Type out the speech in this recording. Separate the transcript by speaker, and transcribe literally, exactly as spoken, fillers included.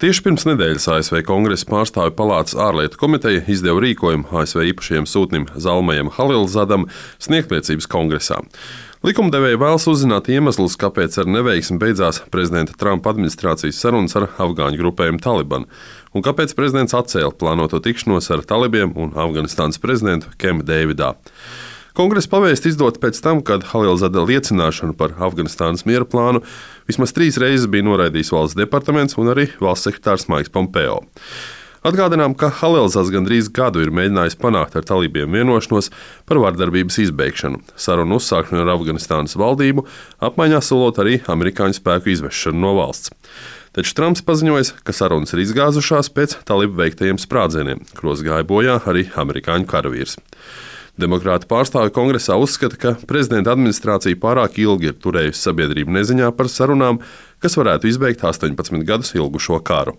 Speaker 1: Tieši pirms nedēļas A S V Kongresa pārstāvju palātas ārlietu komiteja izdeva rīkojumu A S V īpašajam sūtnim Zalmajam Halilzadam sniegt liecības Kongresā. Likumdevēji vēlas uzzināt iemeslus, kāpēc ar neveiksmi beidzās prezidenta Trumpa administrācijas sarunas ar afgāņu grupējumu Taliban, un kāpēc prezidents atcēla plānoto tikšanos ar talibiem un Afganistānas prezidentu Kemu Deividā. Kongresa pavēsti izdota pēc tam, kad Halilzada liecināšanu par Afganistānas miera plānu vismaz trīs reizes bija noraidījis valsts departaments un arī valsts sekretārs Maiks Pompeo. Atgādinām, ka Halilzads gandrīz gadu ir mēģinājis panākt ar talībiem vienošanos par vardarbības izbeigšanu, sarunu uzsākšanu ar Afganistānas valdību, apmaiņā solot arī amerikāņu spēku izvešanu no valsts. Taču Trumps paziņoja, ka sarunas ir izgāzušās pēc talibu veiktajiem sprādzieniem, kuros gāja bojā arī amerikāņu karavīrs. Demokrātu pārstāvju Kongresā uzskata, ka prezidenta administrācija pārāk ilgi ir turējusi sabiedrību neziņā par sarunām, kas varētu izbeigt astoņpadsmit gadus ilgušo karu.